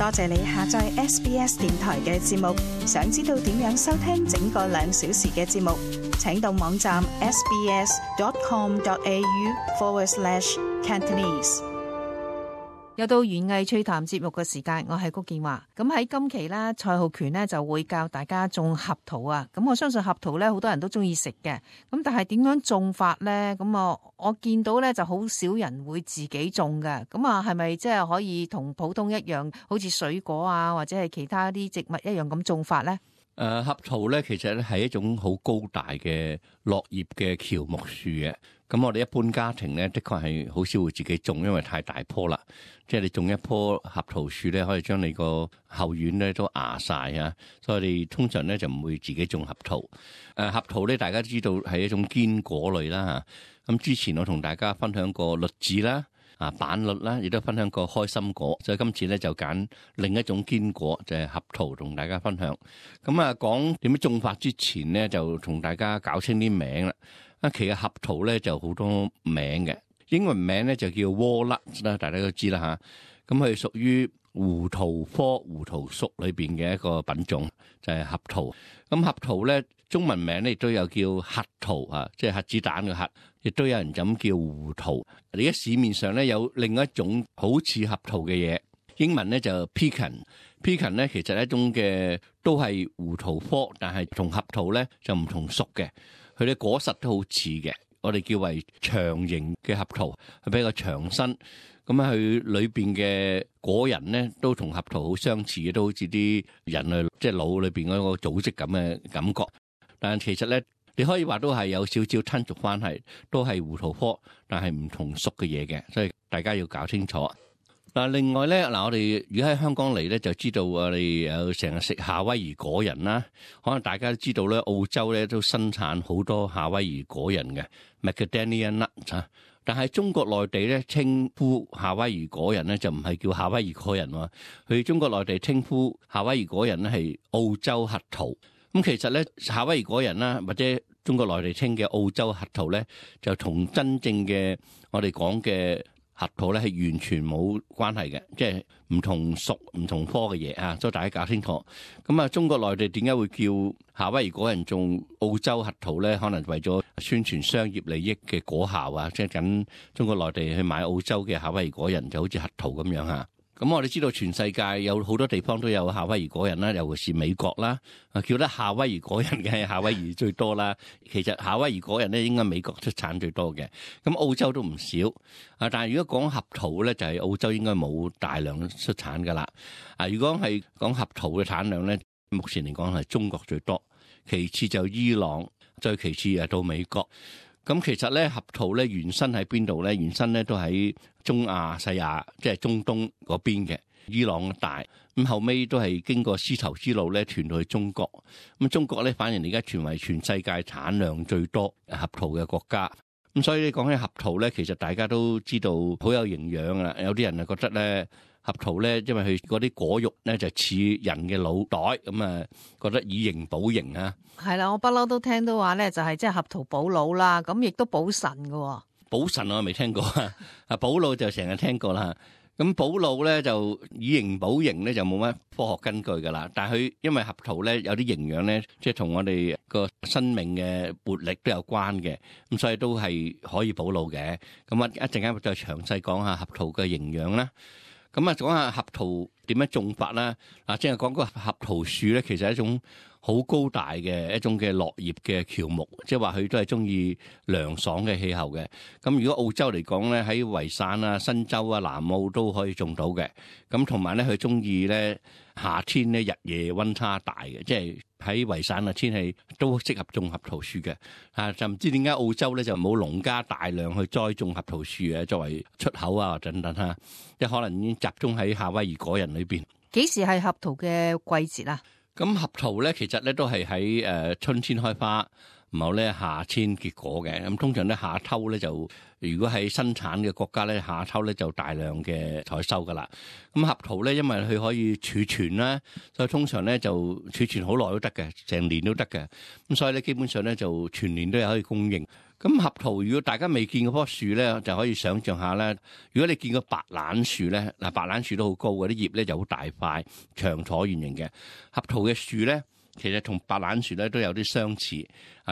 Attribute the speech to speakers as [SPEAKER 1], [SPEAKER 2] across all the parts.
[SPEAKER 1] 多謝你下載 SBS 電台嘅節目。想知道點樣收聽整個2小時嘅節目，請到網站 sbs.com.au/Cantonese。
[SPEAKER 2] 又到園藝趣談節目嘅時間，我係谷健華。咁喺今期咧，蔡浩權咧就會教大家種合桃啊。咁我相信合桃咧，好多人都中意食嘅。咁但係點樣種法咧？咁我見到咧就好少人會自己種嘅。咁係咪即係可以同普通一樣，好似水果啊或者係其他啲植物一樣咁種法咧？
[SPEAKER 3] 合桃咧，其實咧係一種好高大嘅落葉嘅喬木樹嘅。咁我哋一般家庭咧，的確係好少會自己種，因為太大棵啦。即係你種一棵合桃樹咧，可以將你個後院咧都壓晒啊。所以我哋通常咧就唔會自己種合桃。合桃咧，大家知道係一種堅果類啦嚇。咁之前我同大家分享過栗子啦。板栗啦，亦都分享過開心果，所以今次咧就揀另一種堅果，就係合桃，同大家分享。咁講點樣種法之前咧，就同大家搞清啲名啦。其實合桃咧就好多名嘅，英文名咧就叫 walnut 啦，大家都知啦嚇。咁佢屬於胡桃科胡桃屬裏邊嘅一個品種，就係合桃。咁合桃咧中文名咧亦都有叫核桃啊，即係核子彈嘅核，亦都有人咁叫胡桃。而家市面上咧有另一種好似合桃嘅嘢，英文咧就 pecan。pecan 咧其實係一種嘅都係胡桃科，但係同合桃咧就唔同屬嘅。佢哋果實都好似嘅，我哋叫為長形嘅合桃，係比較長身。咁佢裏邊嘅果仁咧都同合桃好相似嘅，都好似啲人類即係腦裏邊嗰個組織咁嘅感覺。但係其實咧，你可以話都係有少少親屬關係，都係胡桃科，但係唔同屬嘅嘢嘅，所以大家要搞清楚。另外咧，我哋如果喺香港嚟咧，就知道我哋有成日食夏威夷果仁啦。可能大家都知道咧，澳洲咧都生產好多夏威夷果仁嘅 Macadamia nut 啊。但係中國內地咧稱呼夏威夷果仁咧就唔係叫夏威夷果仁喎，佢中國內地稱呼夏威夷果仁咧係澳洲核桃。咁其實咧夏威夷果仁啦，或者中國內地稱嘅澳洲核桃咧，就同真正嘅我哋講嘅核桃咧係完全冇關係嘅，即係唔同屬唔同科嘅嘢啊，所以大家搞清楚。咁中國內地點解會叫夏威夷果仁種澳洲核桃咧？可能為咗宣傳商業利益嘅果效啊，即係緊中國內地去買澳洲嘅夏威夷果仁，就好似核桃咁樣嚇。咁我哋知道全世界有好多地方都有夏威夷果仁啦，尤其是美國啦，叫得夏威夷果仁嘅係夏威夷最多啦。其實夏威夷果仁咧應該美國出產最多嘅，咁澳洲都唔少。但係如果講合桃咧，就係澳洲應該冇大量出產噶啦。如果係講合桃嘅產量咧，目前嚟講係中國最多，其次就伊朗，再其次到美國。咁其實咧合桃咧原生喺邊度咧？原生咧都喺中亞西亞，即係中東嗰邊嘅伊朗大。咁後尾都係經過絲綢之路咧傳到去中國。咁中國咧反而而家傳為全世界產量最多合桃嘅國家。咁所以你講起合桃咧，其實大家都知道好有營養啦。有啲人啊覺得咧合桃咧，因為佢嗰啲果肉咧就似人嘅腦袋，咁覺得以形補形啊。
[SPEAKER 2] 係啦，我不嬲都聽到話咧，就係即係合桃補腦啦，咁亦都補腎㗎。補
[SPEAKER 3] 腎我未聽過啊，補腦就成日聽過啦。咁補腦咧就以形補形咧就冇乜科學根據噶啦。但係佢因為合桃咧有啲營養咧，即係同我哋個生命嘅活力都有關嘅，咁所以都係可以補腦嘅。咁一陣間再詳細講下合桃嘅營養啦。咁講下合桃點樣種法啦。即係講個合桃樹咧，其實係一種好高大嘅一種嘅落葉嘅喬木，即係話佢都係中意涼爽嘅氣候嘅。咁如果澳洲嚟講咧，喺維省啊、新州啊、南澳都可以種到嘅。咁同埋咧，佢中意咧夏天咧日夜溫差大嘅，即係喺維省嘅天氣都適合種合桃樹嘅。就唔知點解澳洲咧就冇農家大量去栽種合桃樹啊，作為出口啊等等嚇，即係可能已經集中喺夏威夷果仁裏邊。
[SPEAKER 2] 幾時係合桃嘅季節啊？
[SPEAKER 3] 咁合桃咧，其實咧都係喺春天開花，唔好咧夏遷結果嘅。咁通常咧夏偷咧就，如果喺生產嘅國家咧，夏偷咧就大量嘅採收噶啦。咁合桃咧，因為佢可以儲存啦，所以通常咧就儲存好耐都得嘅，成年都得嘅。咁所以咧基本上咧就全年都有可以供應。咁合桃如果大家未見嗰棵樹咧，就可以想象下咧。如果你見過白蘭樹咧，嗱白蘭樹都好高嘅，啲葉咧就好大塊、長橢圓形嘅。合桃嘅樹咧，其實同白蘭樹咧都有啲相似，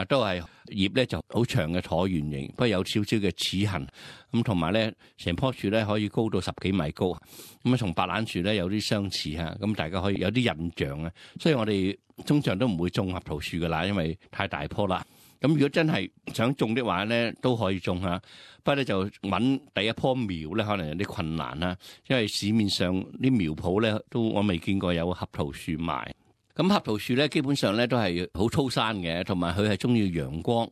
[SPEAKER 3] 都係葉咧就好長嘅橢圓形，不過有少少嘅齒痕。咁同埋咧，成棵樹咧可以高到10幾米高，咁啊同白蘭樹咧有啲相似嚇，咁大家可以有啲印象啊。所以我哋通常都唔會種合桃樹噶啦，因為太大棵啦。咁如果真係想種的話咧，都可以種下，不過咧就揾第一棵苗咧，可能有啲困難啦，因為市面上啲苗圃咧都我未見過有合桃樹賣。咁合桃樹咧基本上咧都係好粗生嘅，同埋佢係中意陽光，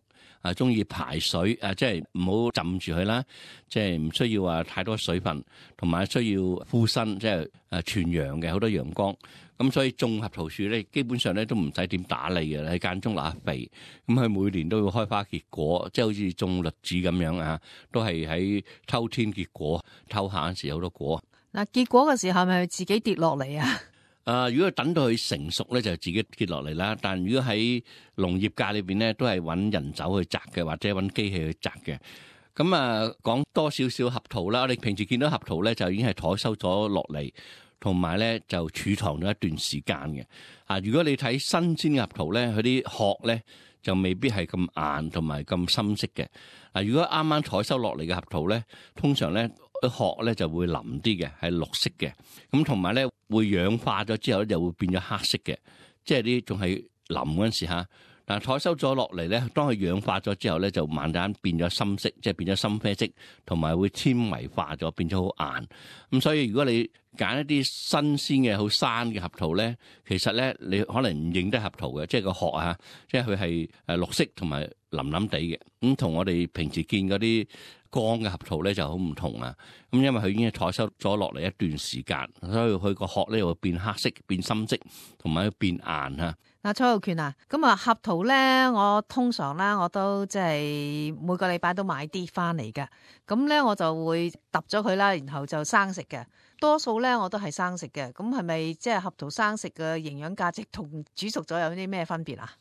[SPEAKER 3] 中意排水，即係唔好浸住佢啦，即係唔需要話太多水分，同埋需要枯身，即係全陽嘅好多陽光。咁所以種合桃樹咧，基本上咧都唔使點打理嘅，喺間中落下肥。咁佢每年都要開花結果，即係好似種栗子咁樣啊，都係喺秋天結果，偷下嗰時有好多果。
[SPEAKER 2] 嗱，結果嘅時候係咪自己跌落嚟啊？
[SPEAKER 3] 如果等到佢成熟咧，就自己跌落嚟啦。但如果喺農業界裏邊咧，都係揾人手去摘嘅，或者揾機器去摘嘅。咁講多少少合桃啦。我哋平時見到合桃咧，就已經係採收咗落嚟。同埋咧就儲藏咗一段時間嘅。如果你睇新鮮嘅合桃咧，佢啲殼咧就未必係咁硬同埋咁深色嘅。如果啱啱採收落嚟嘅合桃咧，通常咧殼咧就會腍啲嘅，係綠色嘅。咁同埋咧會氧化咗之後咧就會變咗黑色嘅，即係啲仲係腍嗰陣時嚇。但係採收咗落嚟咧，當佢氧化咗之後咧，就慢慢變咗深色，即係變咗深啡色，同埋會纖維化咗，變咗好硬。咁所以如果你揀一啲新鮮嘅好生嘅合桃咧，其實咧你可能唔認得合桃嘅，即係個殼啊，即係佢係綠色同埋腍腍地嘅。咁同我哋平時見嗰啲乾嘅合桃咧就好唔同啊。咁因為佢已經係採收咗落嚟一段時間，所以佢個殼咧會變黑色、變深色，同埋變硬啊。
[SPEAKER 2] 嗱，蔡浩權啊，咁啊合桃咧，我通常咧我都即係每個禮拜都買啲翻嚟嘅，咁咧我就會揼咗佢啦，然後就生食嘅。多數咧我都係生食嘅，咁係咪即係合桃生食嘅營養價值同煮熟咗有啲咩分別啊？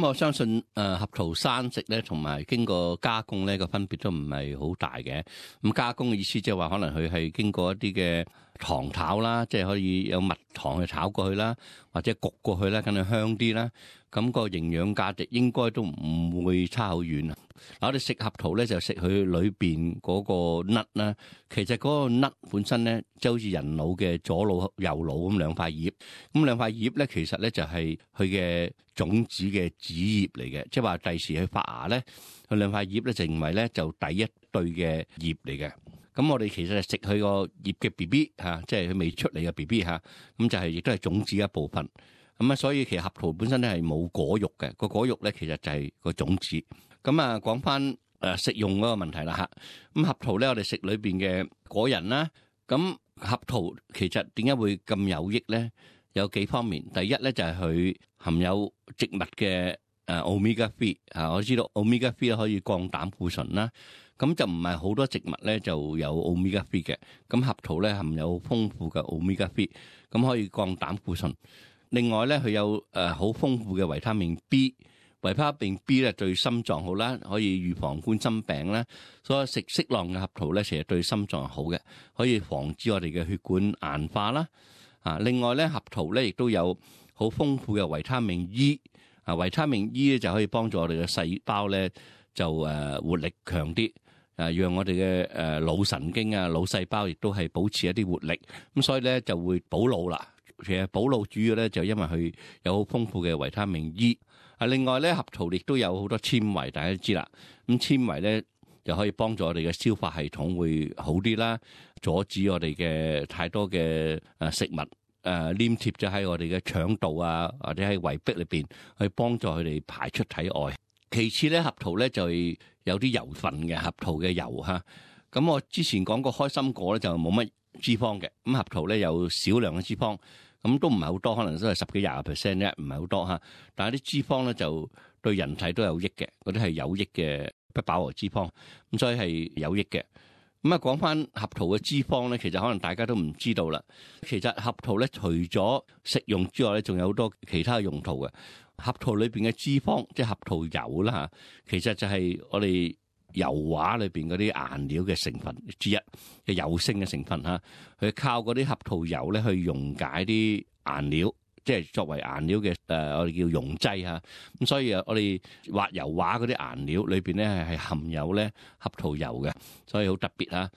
[SPEAKER 3] 我相信合桃生食咧，同埋經過加工咧個分別都唔係好大嘅。咁加工嘅意思即係話，可能佢係經過一啲嘅糖炒啦，即係可以有蜜糖去炒過去啦，或者焗過去啦，梗係香啲啦。咁個營養價值應該都唔會差好遠啊！嗱，我哋食合桃咧就食佢裏邊嗰個粒啦。其實嗰個粒本身咧，即係好似人腦嘅左腦右腦咁兩塊葉。咁兩塊葉咧，其實咧就係佢嘅種子嘅子葉嚟嘅，即係話第時去發芽咧，佢兩塊葉咧成為咧就第一對嘅葉嚟嘅。咁我哋其實係食佢個葉嘅 BB 嚇，即係佢未出嚟嘅 BB 嚇，咁就係亦都係種子一部分。咁所以其實合桃本身咧係冇果肉嘅，個果肉咧其實就係個種子。咁講翻食用嗰個問題啦嚇。咁合桃咧，我哋食裏邊嘅果仁啦。咁合桃其實點解會咁有益咧？有幾方面。第一咧就係佢含有植物嘅omega 3。我知道 omega 3可以降膽固醇啦。咁就唔係好多植物咧就有 omega 3嘅。咁合桃咧含有豐富嘅 omega 3，咁可以降膽固醇。另外咧，佢有好豐富嘅維他命 B， 維他命 B 咧對心臟好啦，可以預防冠心病啦。所以食適量嘅合桃咧，其實對心臟好嘅，可以防止我哋嘅血管硬化啦。另外咧，合桃咧亦都有好豐富嘅維他命 E。維他命 E 咧就可以幫助我哋嘅細胞咧就活力強啲，讓我哋嘅腦神經腦細胞亦都係保持一啲活力。咁所以咧就會補腦啦。其實補腦主要咧就因為佢有好豐富嘅維他命 E。另外咧，合桃亦都有好多纖維，大家都知啦。咁纖維咧就可以幫助我哋嘅消化系統會好啲啦，阻止我哋嘅太多嘅食物黏貼咗喺我哋嘅腸道或者喺胃壁裏邊，去幫助佢哋排出體外。其次咧，合桃咧就有啲油分嘅，合桃嘅油嚇。咁我之前講過開心果咧就冇乜脂肪嘅，咁合桃咧有少量嘅脂肪。咁都唔係好多，可能都係10幾20% 啫，唔係好多嚇。但係啲脂肪咧就對人體都有益嘅，嗰啲係有益嘅不飽和脂肪，咁所以係有益嘅。咁啊，講翻合桃嘅脂肪咧，其實可能大家都唔知道啦。其實合桃咧，除咗食用之外咧，仲有好多其他嘅用途嘅。合桃裏邊嘅脂肪，即係合桃油啦嚇，其實就係我哋油畫裏邊嗰啲顏料嘅成分之一嘅油性嘅成分嚇。佢靠嗰啲合桃油咧去溶解啲顏料，即係作為顏料嘅我哋叫溶劑嚇。咁所以啊，我哋畫油畫嗰啲顏料裏邊咧係含有咧合桃油嘅，所以好特別嚇。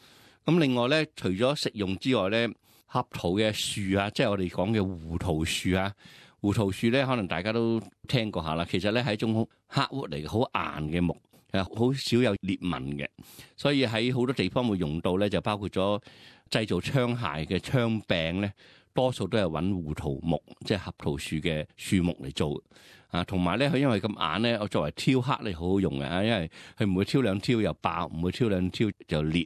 [SPEAKER 3] 咁另外咧，除咗食用之外咧，合桃嘅樹啊，即係我哋講嘅胡桃樹啊。胡桃樹咧，可能大家都聽過下啦。其實咧係一種黑烏嚟嘅，好硬嘅木，好少有裂紋嘅，所以喺好多地方會用到咧，就包括咗製造槍械嘅槍柄咧，多數都係揾胡桃木，即係合桃樹嘅樹木嚟做啊。同埋咧，佢因為咁硬咧，我作為挑刻咧好好用嘅啊，因為佢唔會挑兩挑又爆，唔會挑兩挑就裂。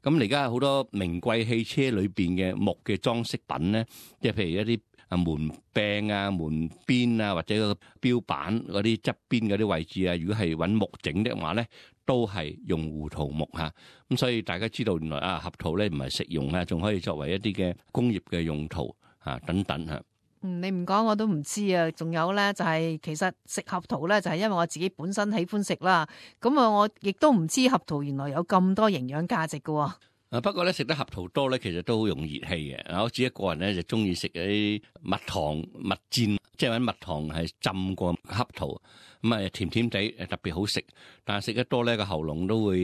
[SPEAKER 3] 咁而家好多名貴汽車裏邊嘅木嘅裝飾品咧，即係譬如一啲門柄啊、門邊啊，或者個標板嗰啲側邊嗰啲位置啊，如果係揾木整嘅話咧，都係用胡桃木嚇。咁所以大家知道原來啊，合桃咧唔係食用啊，仲可以作為一啲嘅工業嘅用途嚇等等嚇。
[SPEAKER 2] 你唔講我都唔知啊。仲有咧就係其實食合桃咧就係因為我自己本身喜歡食啦。咁啊，我亦都唔知合桃原來有咁多營養價值㗎。
[SPEAKER 3] 不過咧食得合桃多咧，其實都好容易熱氣嘅。我自己個人咧就中意食嗰啲蜜糖蜜餞，即係揾蜜糖係浸過合桃，咁啊甜甜地特別好食。但係食得多咧個喉嚨都會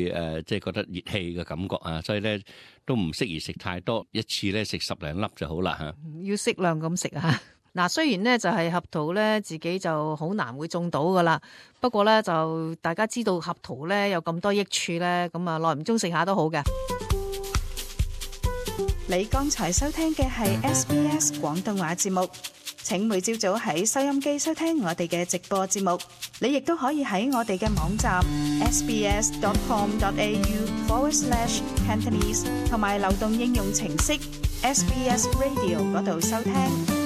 [SPEAKER 3] 即係覺得熱氣嘅感覺啊，所以咧都唔適宜食太多，一次咧食10零粒就好啦嚇。
[SPEAKER 2] 要適量咁食啊！嗱，雖然咧就係合桃咧自己就好難會種到噶啦，不過咧就大家知道合桃咧有咁多益處咧，咁啊耐唔中食下都好嘅。
[SPEAKER 1] 你剛才收聽嘅係 SBS 廣東話節目，請每朝早喺收音機收聽我哋嘅直播節目。你亦都可以喺我哋嘅網站 sbs.com.au/Cantonese 同埋流動應用程式 SBS Radio 嗰度收聽。